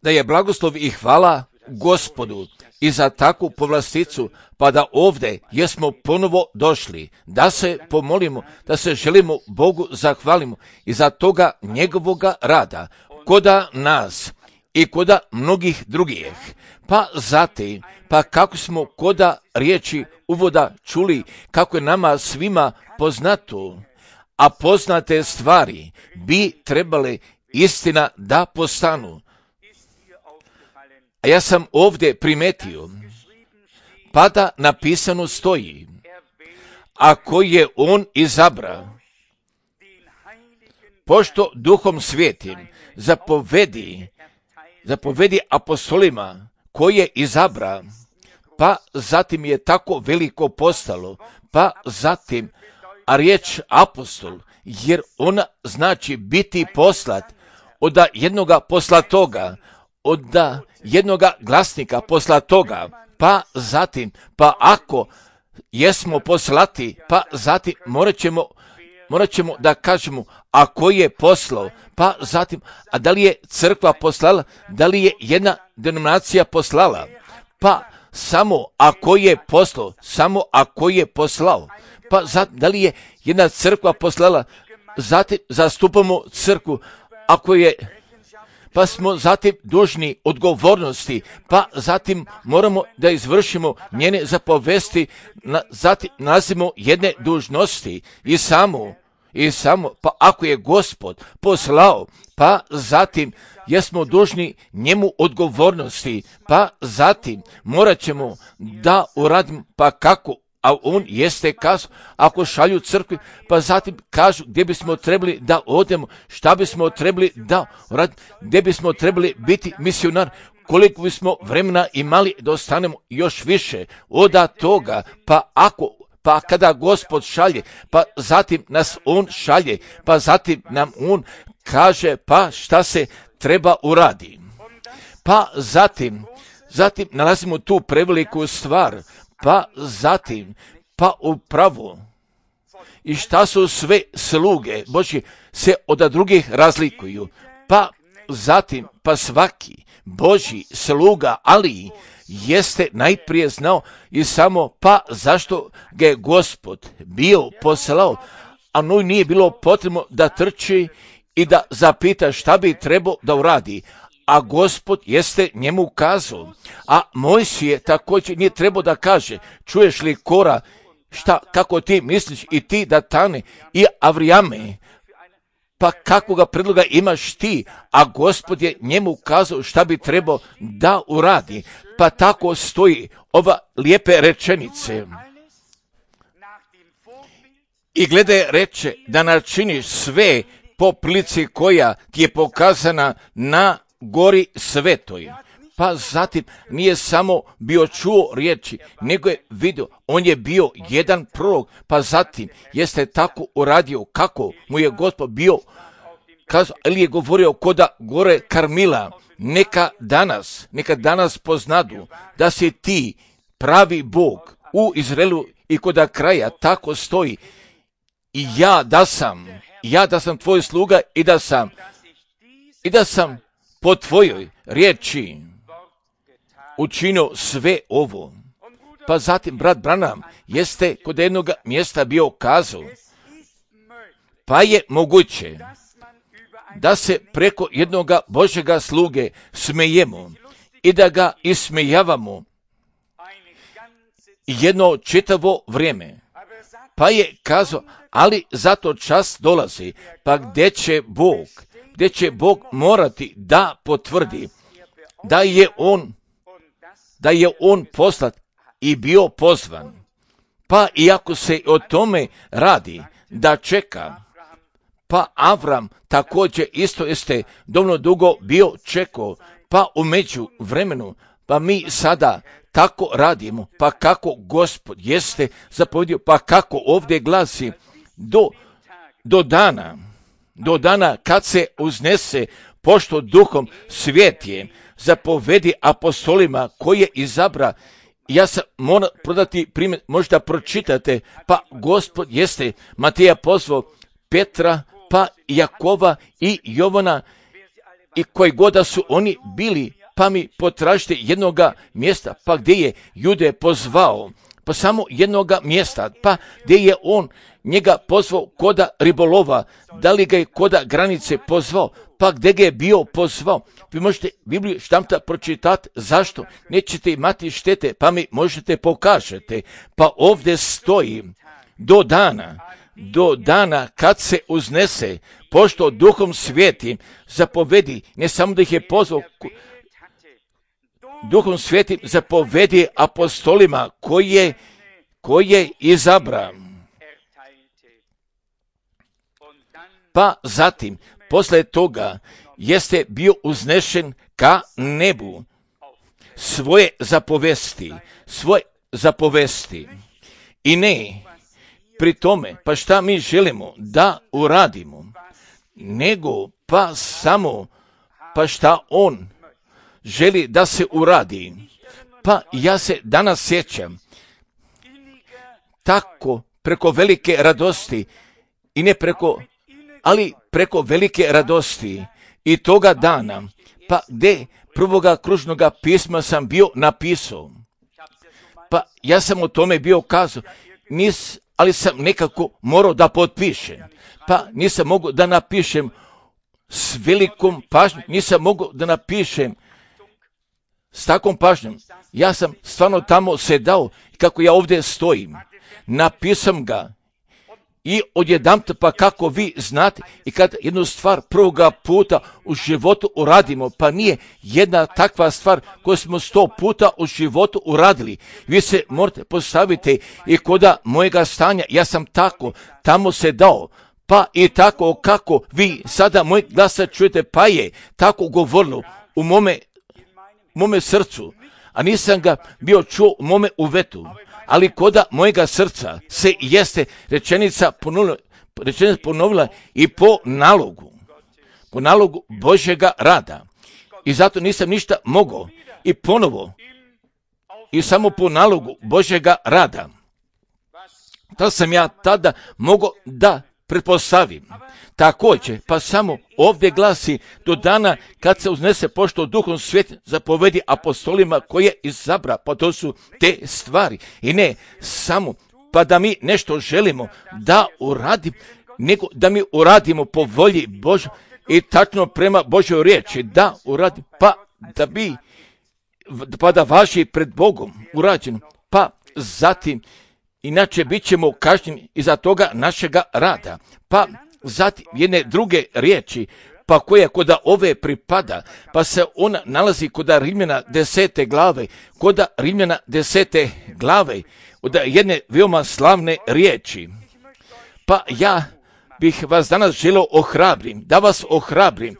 da je blagoslov i hvala Gospodu i za takvu povlasticu, pa da ovdje jesmo ponovo došli, da se pomolimo, da se želimo Bogu zahvalimo i za toga njegovoga rada, koda nas i koda mnogih drugih. Pa zatim, pa kako smo koda riječi uvoda čuli, kako je nama svima poznato, a poznate stvari bi trebale istina da postanu. A ja sam ovdje primetio, pa da napisano stoji, ako je on izabra, pošto Duhom Svetim zapovedi apostolima koje izabra, pa zatim je tako veliko postalo, pa zatim, a riječ apostol, jer ona znači biti poslat, od jednoga poslatoga, od jednoga glasnika poslatoga, pa zatim, pa ako jesmo poslati, pa zatim morat ćemo da kažemo, a ko je poslao, pa zatim, a da li je crkva poslala, da li je jedna denominacija poslala, pa samo ako je poslao, samo ako je poslao, pa zatim, da li je jedna crkva poslala, zatim zastupamo crkvu, ako je, pa smo zatim dužni odgovornosti, pa zatim moramo da izvršimo njene zapovesti, zatim nalazimo jedne dužnosti i samo, pa ako je Gospod poslao, pa zatim jesmo dužni njemu odgovornosti, pa zatim morat ćemo da uradimo, pa kako, a on jeste kazao, ako šalju crkvi, pa zatim kažu gdje bismo trebali da odemo, šta bismo trebali da uradimo, gdje bismo trebali biti misionar, koliko bismo vremena imali da ostanemo još više od toga, pa kada Gospod šalje, pa zatim nas on šalje, pa zatim nam on kaže pa šta se treba uradi. Pa zatim nalazimo tu preveliku stvar, pa zatim, pa upravo, i šta su sve sluge Božje se od drugih razlikuju, pa zatim, pa svaki Božji sluga, ali jeste najprije znao i samo pa zašto ga je Gospod bio poslao, a njoj nije bilo potrebno da trči i da zapita šta bi trebao da uradi, a Gospod jeste njemu kazao, a Mojsije također nije trebao da kaže, čuješ li Kora, šta, kako ti misliš i ti Datane i Avrijame, pa kakvoga predloga imaš ti, a Gospod je njemu kazao šta bi trebao da uradi, pa tako stoji ova lijepe rečenice. I glede reče da načiniš sve po prilici koja ti je pokazana na gori svetoj. Pa zatim nije samo bio čuo riječi, nego je vidio, on je bio jedan prorok, pa zatim jeste tako uradio kako mu je Gospod bio kazao, ili je govorio koda gore Karmila, neka danas poznadu da si ti pravi Bog u Izraelu i koda kraja tako stoji i ja da sam tvoj sluga i da sam po tvojoj riječi učinio sve ovo. Pa zatim brat Branham jeste kod jednog mjesta bio kazao, pa je moguće da se preko jednoga Božjega sluge smejemo i da ga ismejavamo jedno čitavo vrijeme. Pa je kazao, ali zato čas dolazi, pa gdje će Bog morati da potvrdi da je on poslat i bio pozvan. Pa iako se o tome radi, da čeka, pa Avram također isto jeste dovoljno dugo bio čekao, pa u međuvremenu, pa mi sada tako radimo, pa kako Gospod jeste zapovjedio, pa kako ovdje glasi, do dana kad se uznese, pošto Duhom Svetijem zapovedi apostolima koje izabra. Ja sam moram prodati primjer, možda pročitate, pa Gospod jeste Mateja pozvao Petra, pa Jakova i Jovana i koji god da su oni bili, pa mi potražite jednoga mjesta, pa gdje je Jude pozvao, pa samo jednoga mjesta, pa gdje je on njega pozvao koda ribolova, da li ga je koda granice pozvao, pa gdje ga je bio pozvao. Vi možete Bibliju štamta pročitati, zašto? Nećete imati štete, pa mi možete pokažete. Pa ovdje stoji do dana kad se uznese, pošto Duhom Svetim zapovedi, ne samo da ih je pozvao, Duhom Svetim zapovedi apostolima koje izabra. Pa zatim, posle toga, jeste bio uznešen ka nebu svoje zapovesti. I ne, pri tome, pa šta mi želimo da uradimo, nego pa samo, pa šta on želi da se uradi. Pa ja se danas sjećam, tako preko velike radosti, i ne preko, ali preko velike radosti i toga dana, pa gdje prvoga kružnoga pisma sam bio napisao. Pa ja sam o tome bio kazao, ali sam nekako morao da potpišem. Pa nisam mogao da napišem s velikom pažnjom, nisam mogao da napišem s takvom pažnjom. Ja sam stvarno tamo sedao, kako ja ovdje stojim. Napisam ga i odjedanput, pa kako vi znate, i kad jednu stvar prvoga puta u životu uradimo, pa nije jedna takva stvar koju smo 100 puta u životu uradili. Vi se morate postaviti i koda mojega stanja, ja sam tako tamo sedao, pa i tako kako vi sada moj glas čujete, pa je tako govorilo u mome srcu, a nisam ga bio čuo u mome uvetu. Ali koda mojega srca se jeste rečenica ponovila i po nalogu Božjega rada. I zato nisam ništa mogao i ponovo i samo po nalogu Božjega rada. To sam ja tada mogao da pretpostavim. Također, pa samo ovdje glasi do dana kad se uznese, pošto Duhom Svetim zapovedi apostolima koje izabra, pa to su te stvari. I ne samo pa da mi nešto želimo da uradimo, nego da mi uradimo po volji Božoj i tačno prema Božoj riječi, da uradimo, pa da važi pred Bogom urađeno, pa zatim inače bit ćemo kažnjeni iza toga našega rada. Pa zatim jedne druge riječi, pa koja koda ove pripada, pa se ona nalazi koda Rimljana 10. glave, koda Rimljana 10. glave, od jedne veoma slavne riječi. Pa ja bih vas danas želio da vas ohrabrim,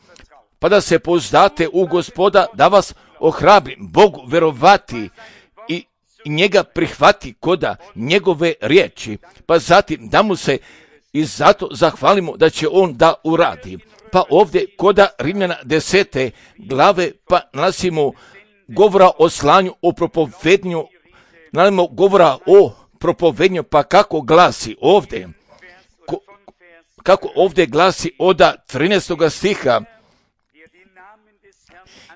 pa da se pouzdate u Gospoda, da vas ohrabrim, Bogu verovati i njega prihvati koda njegove riječi, pa zatim da mu se i zato zahvalimo da će on da uradi. Pa ovdje koda Rimljana 10. glave, pa nalazimo govora o slanju, o propovednju, nalazimo govora o propovednju, pa kako glasi ovdje, kako ovdje glasi od 13. stiha,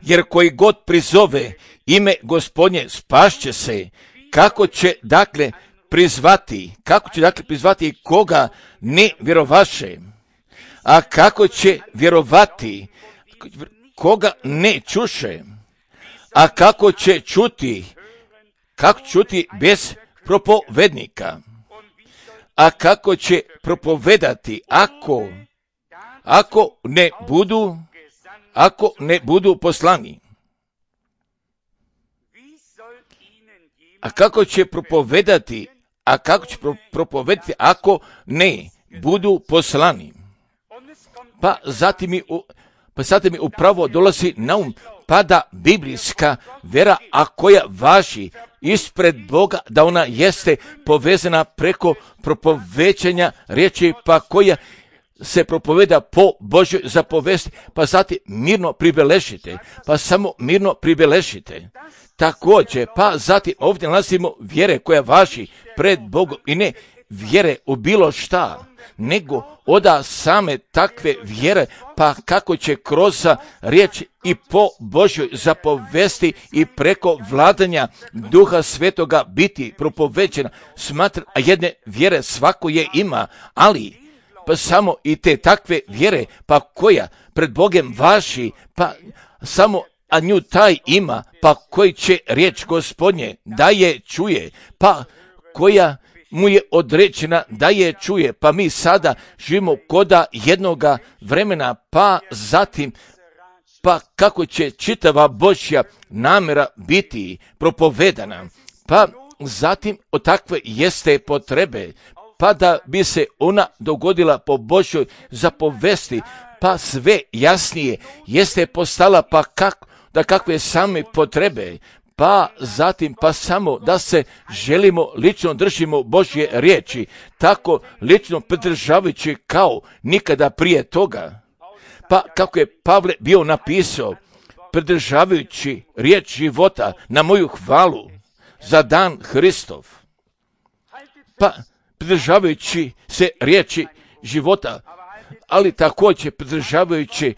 jer koji god prizove ime Gospodnje spašće se. Kako će dakle prizvati koga ne vjerovaše, a kako će vjerovati koga ne čuše, a kako će čuti bez propovednika, a kako će propovedati ako ne budu poslani. A kako će propovedati ako ne budu poslani? Pa zatim mi upravo dolazi na um, pa da biblijska vera, a koja važi ispred Boga, da ona jeste povezana preko propovećanja riječi, pa koja se propoveda po Božoj zapovesti, pa zatim mirno pribeležite, pa samo mirno pribeležite. Također, pa zatim ovdje nalazimo vjere koja važi pred Bogom i ne vjere u bilo šta, nego oda same takve vjere, pa kako će kroz riječ i po Božjoj zapovesti i preko vladanja Duha Svetoga biti propoveđena. Smatra, a jedne vjere svako je ima, ali pa samo i te takve vjere, pa koja pred Bogem važi, pa samo a nju taj ima, pa koji će riječ Gospodnje da je čuje, pa koja mu je određena da je čuje, pa mi sada živimo koda jednoga vremena, pa zatim, pa kako će čitava Božja namjera biti propovedana, pa zatim od takve jeste potrebe, pa da bi se ona dogodila po Božjoj zapovesti, pa sve jasnije jeste postala, pa kakve same potrebe, pa zatim pa samo da se želimo lično držimo Božje riječi, tako lično pridržavajući kao nikada prije toga. Pa kako je Pavle bio napisao, pridržavajući riječ života na moju hvalu za dan Hristov, pa pridržavajući se riječi života, ali također pridržavajući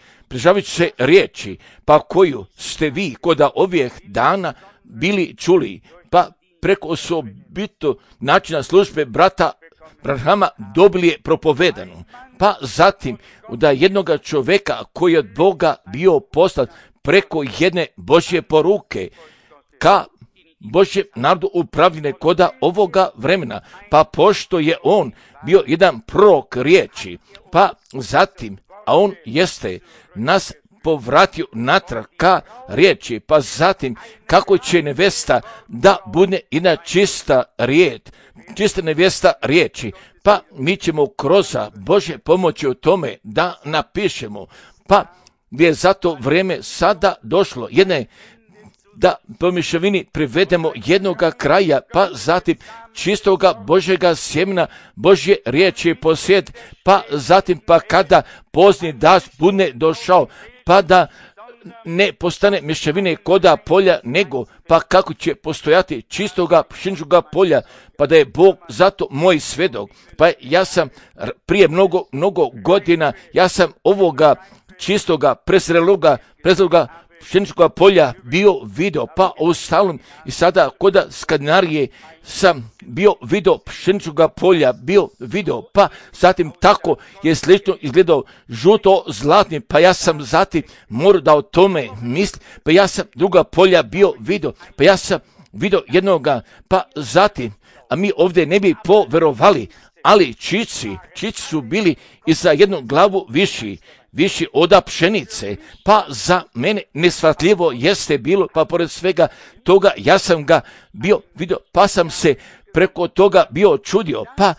se riječi, pa koju ste vi koda ovih dana bili čuli, pa preko osobito načina službe brata Branhama dobili je propovedanu, pa zatim da jednoga čovjeka koji je od Boga bio poslat preko jedne Božje poruke ka Božjem narodu upravljene koda ovoga vremena, pa pošto je on bio jedan prorok riječi, pa zatim, a on jeste nas povratio natrag ka riječi, pa zatim kako će nevesta da bude jedna čista nevesta riječi, pa mi ćemo kroz Božje pomoći u tome da napišemo, pa gdje je za to vrijeme sada došlo jedne da po mješavini privedemo jednoga kraja, pa zatim čistoga Božjega sjemena, Božje riječi posjed, pa zatim pa kada pozni dašt bude došao, pa da ne postane mješavine koda polja, nego pa kako će postojati čistoga pšeničnoga polja, pa da je Bog zato moj svedok. Pa ja sam prije mnogo godina, ja sam ovoga čistoga prezreloga pšeničnoga polja bio video, pa ostalom i sada koda Skandinarije sam bio video pšeničnoga polja, bio video, pa zatim tako je slično izgledao žuto-zlatni, pa ja sam zatim morao da o tome mislim, pa ja sam druga polja bio video, pa ja sam video jednoga, pa zatim, a mi ovdje ne bi poverovali, ali čici su bili i za jednu glavu viši oda pšenice, pa za mene nesvatljivo jeste bilo, pa pored svega toga ja sam ga bio vidio, pa sam se preko toga bio čudio, pa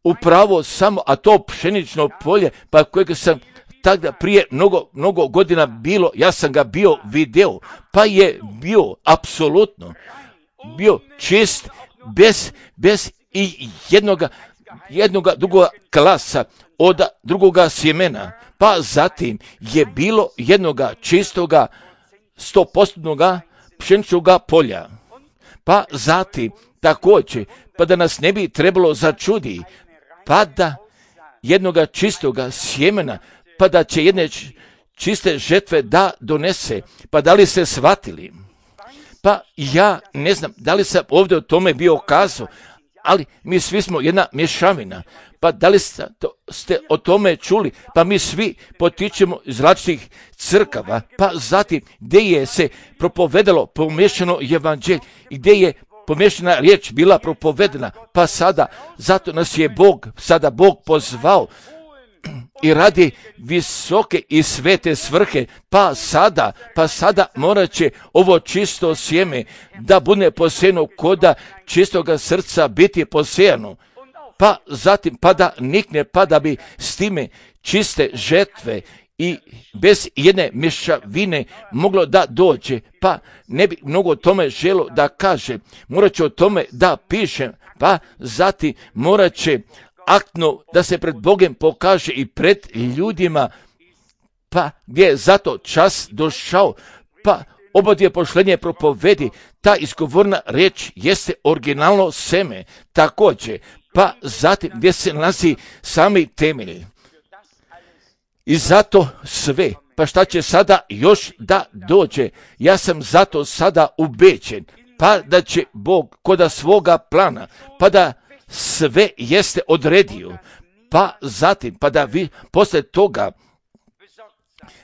upravo samo, a to pšenično polje, pa kojeg sam tada prije mnogo godina bilo, ja sam ga bio video, pa je bio apsolutno, bio čist, bez i jednoga drugoga klasa od drugoga sjemena, pa zatim je bilo jednoga čistoga 100% pšeničnoga polja, pa zatim također, pa da nas ne bi trebalo začudi, pa da jednoga čistoga sjemena, pa da će jedne čiste žetve da donese, pa da li ste shvatili? Pa ja ne znam da li sam ovdje o tome bio kazao, ali mi svi smo jedna mješavina, pa da li ste o tome čuli, pa mi svi potičemo iz različitih crkava, pa zatim gdje je se propovedalo pomiješano evanđelje i gdje je pomiješana riječ bila propovedena, pa sada, zato nas je Bog pozvao i radi visoke i svete svrhe, pa sada morat će ovo čisto sjeme da bude posejano koda čistoga srca biti posejano, pa zatim pa da nikne, pa da bi s time čiste žetve i bez jedne mješavine moglo da dođe, pa ne bi mnogo o tome želo da kaže, morat će o tome da pišem, pa zatim morat će aktno da se pred Bogem pokaže i pred ljudima, pa gdje je zato čas došao, pa obadje pošlenje propovedi, ta izgovorna reč jeste originalno seme, također, pa zatim gdje se nalazi sami temelj. I zato sve, pa šta će sada još da dođe, ja sam zato sada ubeđen, pa da će Bog koda svoga plana, pa da sve jeste odredio, pa zatim, pa da vi posle toga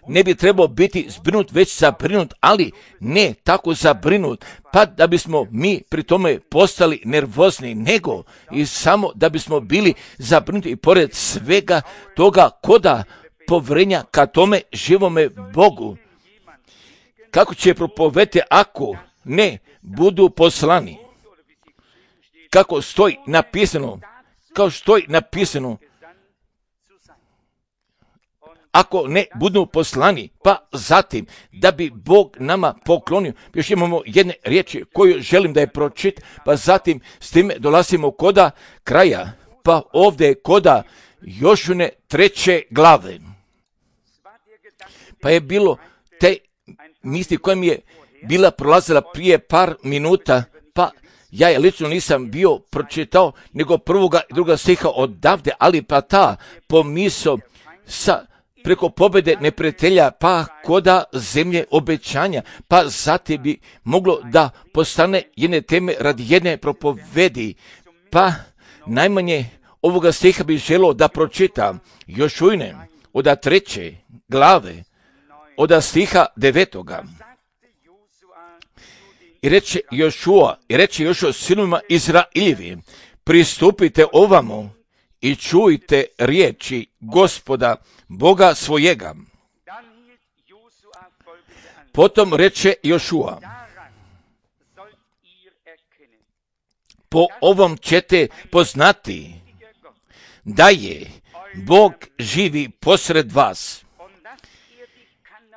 ne bi trebao biti zbrinut, već zabrinut, ali ne tako zabrinut, pa da bismo mi pri tome postali nervozni, nego i samo da bismo bili zabrinuti i pored svega toga koda povrenja ka tome živome Bogu. Kako će propovedati ako ne budu poslani? Kako stoji napisano, kao stoji napisano, ako ne budu poslani, pa zatim da bi Bog nama poklonio. Još imamo jedne riječi koju želim da je pročit, pa zatim s time dolazimo koda kraja, pa ovdje koda Jošune 3. glave. Pa je bilo te misli koja mi je bila prolazila prije par minuta, pa ja je lično nisam bio pročitao, nego 1. i 2. stiha odavde, ali pa ta pomisao sa preko pobjede neprijatelja, pa koda zemlje obećanja, pa zatim bi moglo da postane jedne teme radi jedne propovedi, pa najmanje ovoga stiha bi želio da pročitam Jošujne od 3. glave, od stiha 9. I reče Jošua sinovima Izrailjevi, pristupite ovamo i čujte riječi Gospoda, Boga svojega. Potom reče Jošua, po ovom ćete poznati da je Bog živi posred vas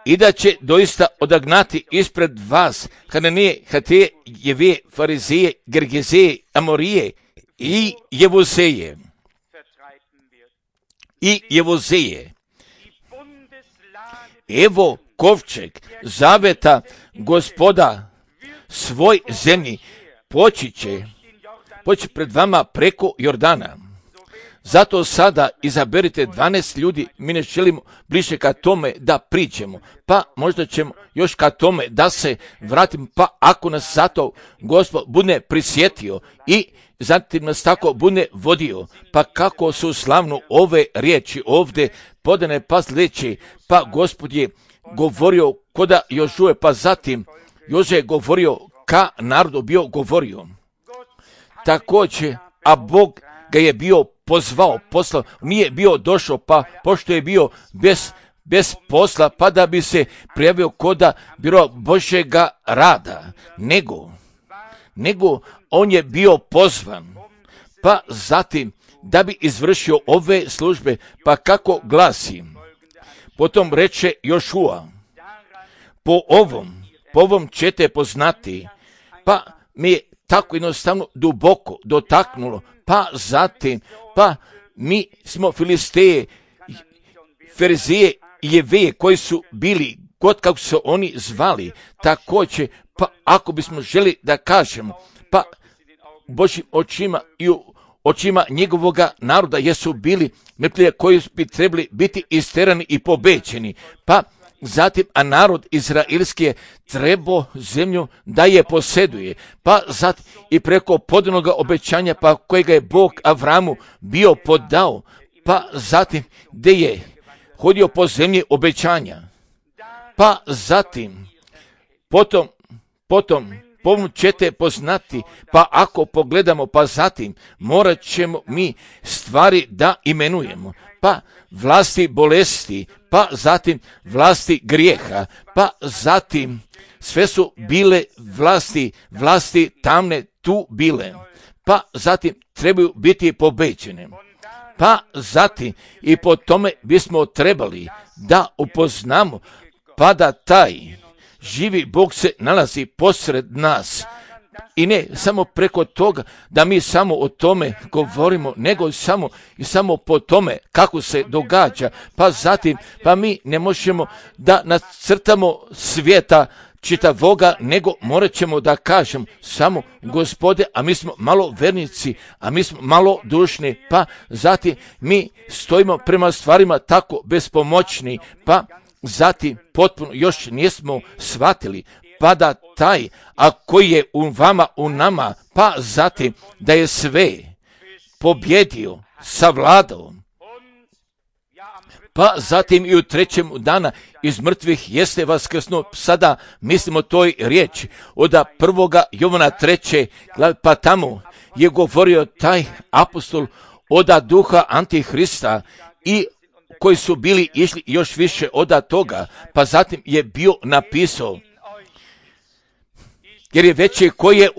i da će doista odagnati ispred vas Kananije, Hateje, Jevije, Farizeje, Gergezeje, Amorije i Jevuzeje. Evo kovčeg zaveta Gospoda svoj zemlji poći pred vama preko Jordana. Zato sada izaberite 12 ljudi, mi ne želimo bliže ka tome da pričamo, pa možda ćemo još ka tome da se vratimo, pa ako nas zato Gospod bude prisjetio i zatim nas tako bude vodio, pa kako su slavno ove riječi ovdje podane pa sljedeće, pa Gospod je govorio koda Jožuje, pa zatim Jože je govorio ka narodu bio govorio. Također, a Bog ga je bio pozvao, poslao, nije bio došao, pa pošto je bio bez posla, pa da bi se prijavio koda biro Božjega rada, nego on je bio pozvan, pa zatim da bi izvršio ove službe, pa kako glasi. Potom reče Jošua, po ovom ćete poznati, pa mi je tako jednostavno duboko dotaknulo, pa zatim, pa mi smo Filisteje, Ferizije i Jeveje koji su bili, god kako su oni zvali, također, pa ako bismo želi da kažemo, pa Božjim očima i u očima njegovoga naroda jesu bili neprijatelji koji bi trebali biti isterani i pobećeni, pa zatim, a narod izraelski je trebao zemlju da je posjeduje, pa zatim i preko podanog obećanja, pa kojega je Bog Avramu bio podao, pa zatim gdje je hodio po zemlji obećanja, pa zatim, potom ćete poznati, pa ako pogledamo, pa zatim morat ćemo mi stvari da imenujemo, pa vlasti bolesti, pa zatim vlasti grijeha, pa zatim sve su bile vlasti tamne tu bile, pa zatim trebaju biti pobeđene, pa zatim i po tome bismo trebali da upoznamo, pa da taj živi Bog se nalazi posred nas. I ne samo preko toga da mi samo o tome govorimo, nego samo po tome kako se događa, pa zatim, pa mi ne možemo da nacrtamo svijeta čitavoga, nego morat ćemo da kažem samo Gospode, a mi smo malo vernici, a mi smo malo dušni, pa zatim mi stojimo prema stvarima tako bespomoćni, pa zatim potpuno još nismo shvatili, pa da taj, a koji je u vama, u nama, pa zatim da je sve pobjedio, savladao, pa zatim i u trećem dana iz mrtvih jeste vaskrsnuo. Sada mislimo toj riječi od 1. Jovana 3. glave, pa tamo je govorio taj apostol od duha Antihrista i koji su bili išli još više od toga, pa zatim je bio napisao, jer je veći koji je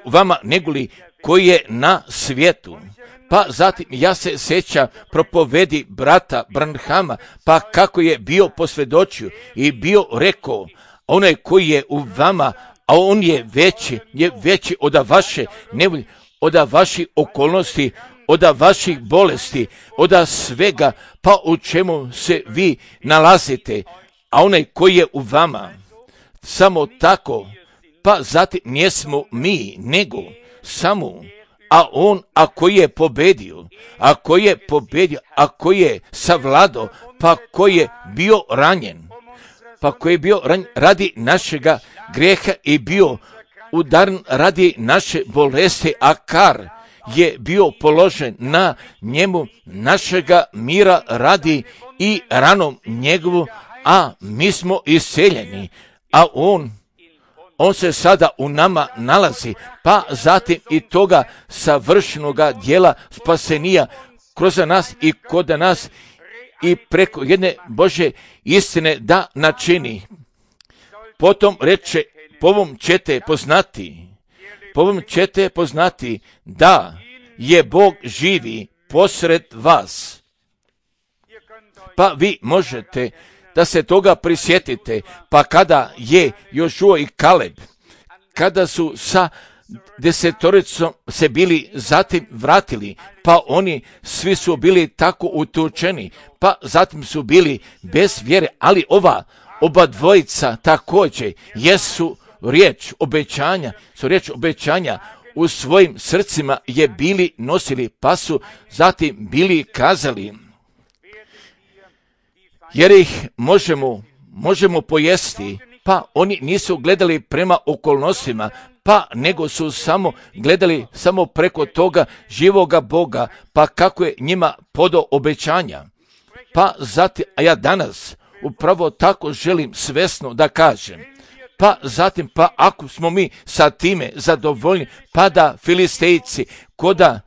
u vama, negoli koji je na svijetu. Pa zatim ja se sjećam propovedi brata Branhama, pa kako je bio posvjedočio i bio rekao, onaj koji je u vama, a on je veći od vaše nevolje, od vaših okolnosti, od vaših bolesti, od svega, pa u čemu se vi nalazite, a onaj koji je u vama, samo tako, pa zatim nismo mi, nego samo, a on, a koji je pobedio, a koji je savladao, pa koji je bio ranjen, radi našega greha i bio udaren radi naše bolesti, a kar je bio položen na njemu našega mira radi i ranom njegovu, a mi smo iseljeni, a on se sada u nama nalazi, pa zatim i toga savršenoga dijela spasenija kroz nas i kod nas i preko jedne Božje istine da načini. Potom reče, po ovom ćete poznati da je Bog živi posred vas. Pa vi možete da se toga prisjetite, pa kada je Jošua i Kaleb, kada su sa 10 se bili zatim vratili, pa oni svi su bili tako utučeni, pa zatim su bili bez vjere, ali oba dvojica također jesu riječ obećanja u svojim srcima je bili nosili, pa su zatim bili kazali, jer ih možemo pojesti, pa oni nisu gledali prema okolnostima, pa nego su samo gledali samo preko toga živoga Boga, pa kako je njima podao obećanja. Pa zatim, a ja danas upravo tako želim svesno da kažem, pa zatim, pa ako smo mi sa time zadovoljni, pa da Filistejci koda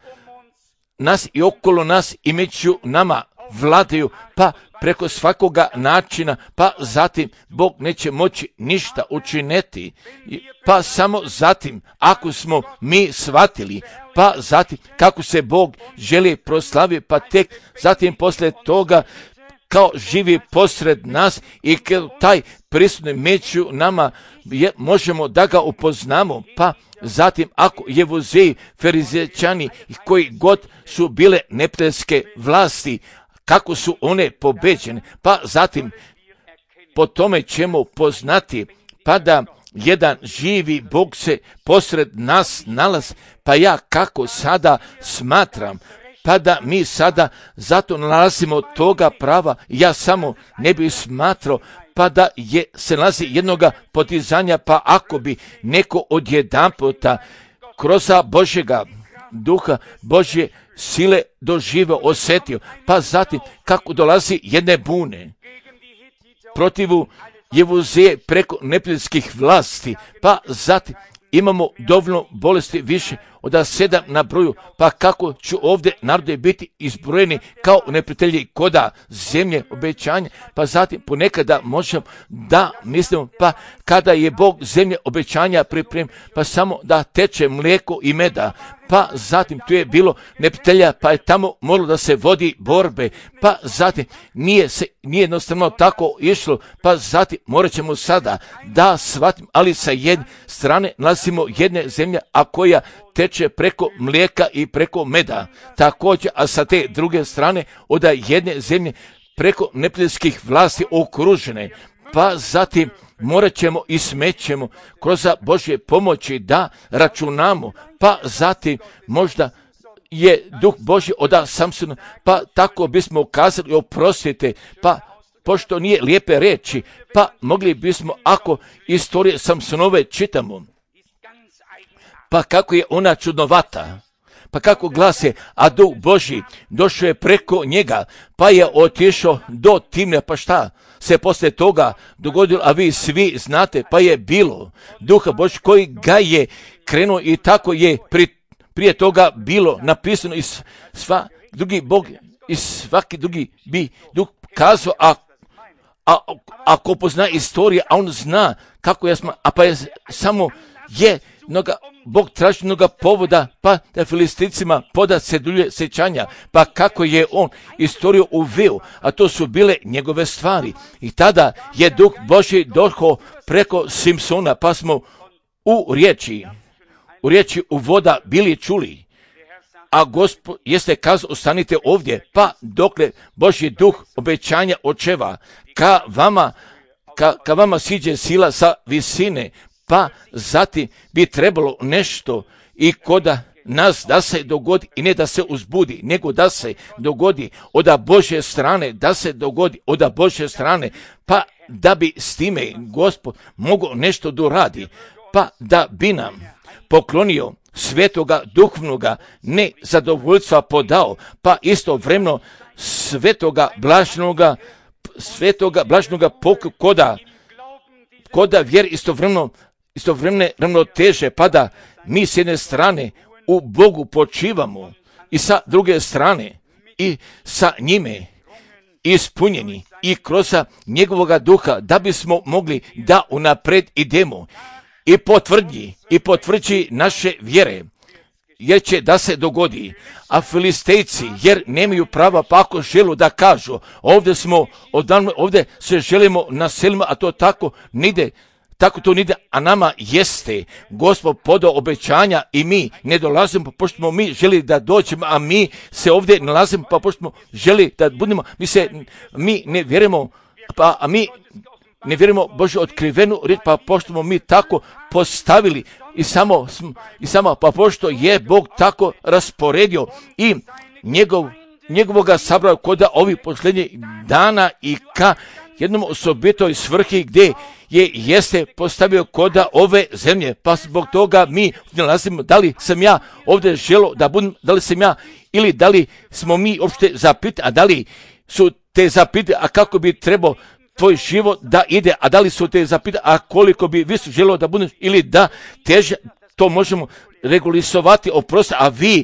nas i okolo nas i među nama vladaju, pa preko svakoga načina, pa zatim Bog neće moći ništa učiniti, pa samo zatim, ako smo mi shvatili, pa zatim kako se Bog želi proslaviti, pa tek zatim poslije toga kao živi posred nas i kao taj prisutni među nama možemo da ga upoznamo, pa zatim ako Jevuzeji, Ferizečani koji god su bile neprijateljske vlasti, kako su one pobeđene, pa zatim po tome ćemo poznati, pa da jedan živi Bog se posred nas nalazi, pa ja kako sada smatram, pa da mi sada zato nalazimo toga prava, ja samo ne bih smatrao, pa da se nalazi jednoga podizanja, pa ako bi neko odjedanputa kroz Božjega duha, Božje sile doživio, osjetio, pa zatim kako dolazi jedne bune protivu Jevuzeje preko neprijateljskih vlasti, pa zatim imamo dovoljno bolesti više od 7 na broju, pa kako ću ovdje narode biti izbrojeni kao neprijatelji koda zemlje obećanja, pa zatim ponekada možemo da mislimo, pa kada je Bog zemlje obećanja pripremio, pa samo da teče mlijeko i meda, pa zatim tu je bilo neprijatelja, pa je tamo moralo da se vodi borbe, pa zatim nije jednostavno tako išlo, pa zatim morat ćemo sada da shvatim, ali sa jedne strane nalazimo jedne zemlje, a koja teče preko mlijeka i preko meda, također, a sa te druge strane od jedne zemlje preko neprijateljskih vlasti okružene, pa zatim morat ćemo i smećemo kroz Božje pomoći da računamo, pa zatim možda je Duh Božji oda Samsona, pa tako bismo kazali oprostite, pa pošto nije lijepe reči, pa mogli bismo, ako istorije Samsonove čitamo, pa kako je ona čudnovata, pa kako glase, a Duh Božji došao je preko njega, pa je otišao do Timne, pa šta se poslije toga dogodilo, a vi svi znate, pa je bilo Duha Božji koji ga je krenuo i tako je prije toga bilo napisano i svaki drugi bi Duh kazao, ako pozna istoriju, a on zna kako pa je samo Bog traži mnoga povoda, pa da Filisticima poda se dulje sjećanja, pa kako je on istoriju uveo, a to su bile njegove stvari. I tada je Duh Božji došao preko Simsona, pa smo u riječi uvoda bili čuli. A Gospod jeste kazao, ostanite ovdje, pa dokle Božji Duh obećanja očeva, ka vama siđe sila sa visine, pa zatim bi trebalo nešto i koda nas da se dogodi, i ne da se uzbudi, nego da se dogodi od Božje strane, pa da bi s time Gospod mogao nešto doradi, pa da bi nam poklonio svetoga duhovnoga nezadovoljstva podao, pa istovremeno svetoga blažnoga koda vjer istovremene ravnoteže, pa da mi s jedne strane u Bogu počivamo i sa druge strane i sa njime ispunjeni i kroz njegovoga duha, da bismo mogli da unapred idemo i potvrđi naše vjere, jer će da se dogodi. A Filistejci, jer nemaju prava, pa ako želu da kažu, ovdje se želimo naselimo, a to tako nide, a nama jeste Gospod podao obećanja i mi ne dolazimo, pošto smo mi želi da dođemo, a mi se ovdje nalazimo, pa pošto smo želi da budemo, mi ne vjerujemo, a mi ne vjerujemo Božju otkrivenu riječ, pa pošto smo mi tako postavili i samo pa pošto je Bog tako rasporedio i njegovoga sabrao kod ovih posljednjih dana i ka jednom osobitoj svrhi gdje jeste postavio kod ove zemlje, pa zbog toga mi nalazimo, da li sam ja ovdje želo da budem, da li sam ja, ili da li smo mi uopšte zapitani, a da li su te zapitani, a kako bi trebao tvoj život da ide, a da li su te zapitani, a koliko bi vi su želo da budeš, ili da teže, to možemo regulisovati, oprosti, a vi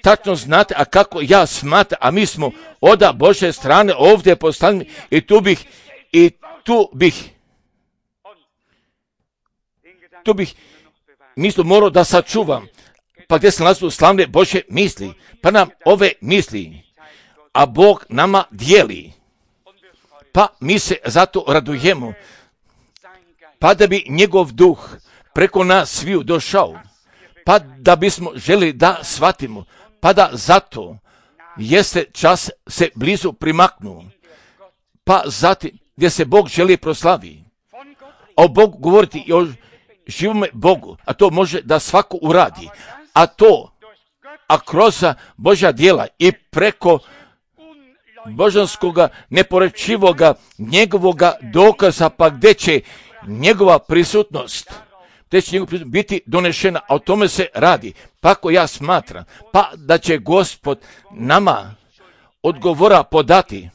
tačno znate, a kako ja smatram, a mi smo od Božje strane ovdje postavljeni i tu bih mislo morao da sačuvam, pa gdje se nalazu slavne Božje misli, pa nam ove misli, a Bog nama dijeli, pa mi se zato radujemo, pa da bi njegov duh preko nas sviju došao, pa da bismo želi da shvatimo, pa da zato jeste čas se blizu primaknuo, pa zatim gdje se Bog želi proslavi. A o Bogu govoriti i o živome Bogu, a to može da svako uradi, a kroz Božja djela i preko božanskoga neporečivoga njegovoga dokaza, pa gdje će njegova prisutnost biti donešena, a o tome se radi. Pa ako ja smatram, pa da će Gospod nama odgovora podati,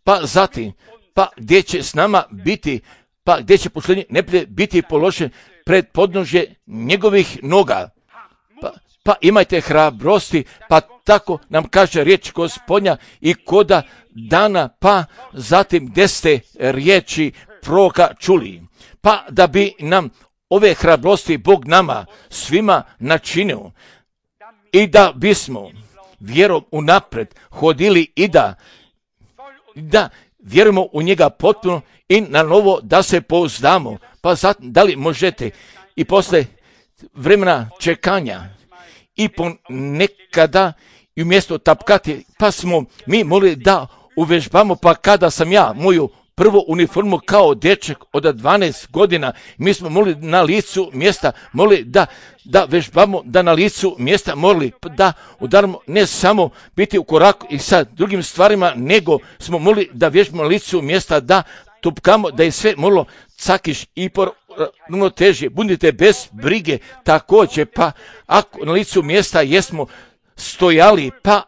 pa zatim, pa gdje će s nama biti, pa gdje će posljednji neprijatelj biti položen pred podnožje njegovih noga. Pa imajte hrabrosti, pa tako nam kaže riječ Gospodnja i koda dana, pa zatim gdje ste riječi proroka čuli, pa da bi nam ove hrabrosti Bog nama svima načinio i da bismo vjerom unapred hodili i da vjerujemo u njega potpuno i na novo da se pouzdamo. Pa zatim, da li možete i posle vremena čekanja i ponekada i umjesto tapkati, pa smo mi mogli da uvežbamo, pa kada sam ja moju prvo uniformu kao dečak od 12 godina. Mi smo molili na licu mjesta, molili da vežbamo, da na licu mjesta molili da udaramo, ne samo biti u koraku i sa drugim stvarima, nego smo molili da vježbamo na licu mjesta, da tupkamo, da je sve moralo cakiš i puno teže. Budite bez brige također, pa ako na licu mjesta jesmo stojali, pa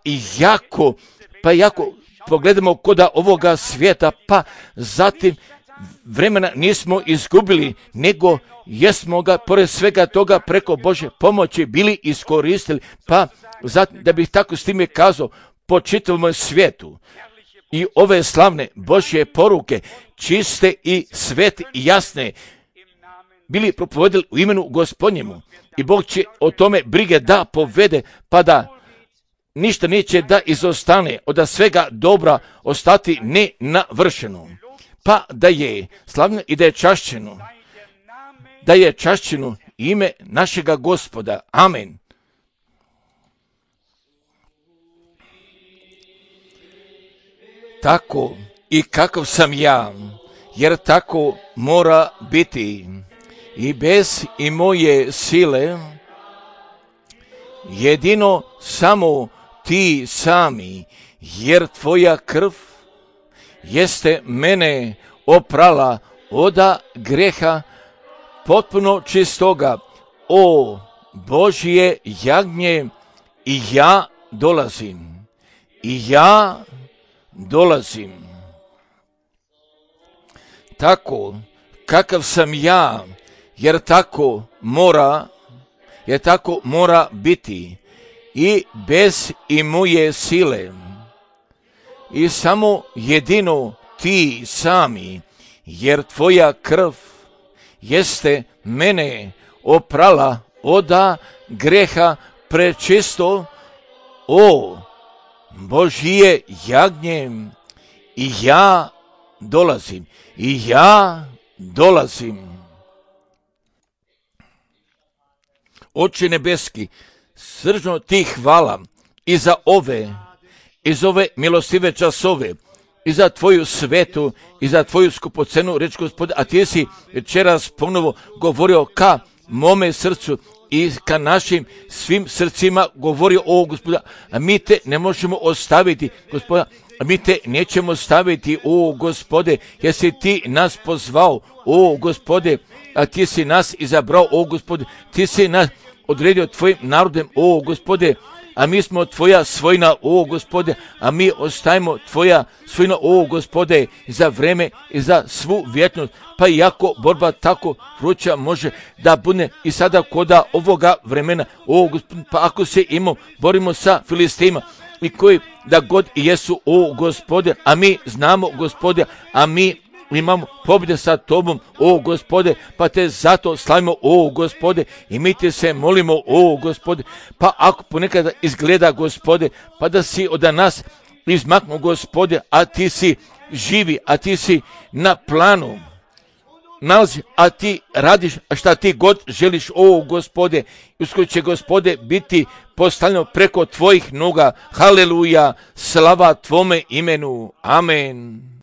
jako pogledamo koda ovoga svijeta, pa zatim vremena nismo izgubili, nego jesmo ga pored svega toga preko Božje pomoći bili iskoristili, pa zatim da bih tako s time kazao po čitavom svijetu. I ove slavne Božje poruke, čiste i svete i jasne, bili propovedili u imenu Gospodnjemu. I Bog će o tome brige da povede, pa da ništa neće da izostane od svega dobra ostati nenavršeno. Pa da je slavno i da je čašćeno ime našega Gospoda. Amen. Tako i kakav sam ja, jer tako mora biti i bez i moje sile, jedino samo ti sami, jer tvoja krv jeste mene oprala oda greha potpuno čistoga. O Božje jagnje, i ja dolazim. Tako kakav sam ja, jer tako mora biti i bez i moje sile, i samo jedino ti sami, jer tvoja krv jeste mene oprala oda greha prečisto. O Božje jagnje, i ja dolazim. Oče nebeski, srčno ti hvala i za ove milostive časove, i za tvoju svetu, i za tvoju skupocenu reč, Gospode, a ti si večeras ponovo govorio ka mome srcu i ka našim svim srcima govorio, o Gospoda, a mi te ne možemo ostaviti, Gospoda, a mi te nećemo ostaviti, o Gospode, jer si ti nas pozvao, o Gospode, a ti si nas izabrao, o Gospode, ti si nas odredio tvojim narodem, o Gospode, a mi smo tvoja svojina, o Gospode, a mi ostajemo tvoja svojina, o Gospode, za vreme i za svu vječnost. Pa iako borba tako vruća može da bude i sada koda ovoga vremena, o Gospode, pa ako se borimo sa Filistima, i koji da god i jesu, o Gospode, a mi znamo, Gospode, a mi imamo pobjede sa tobom, o Gospode, pa te zato slavimo, o Gospode, i mi te se molimo, o Gospode, pa ako ponekada izgleda, Gospode, pa da si od nas izmaknu, Gospode, a ti si živi, a ti si na planu nalazi, a ti radiš šta ti god želiš, o Gospode, uskoro će, Gospode, biti postavljeno preko tvojih noga. Haleluja, slava tvome imenu. Amen.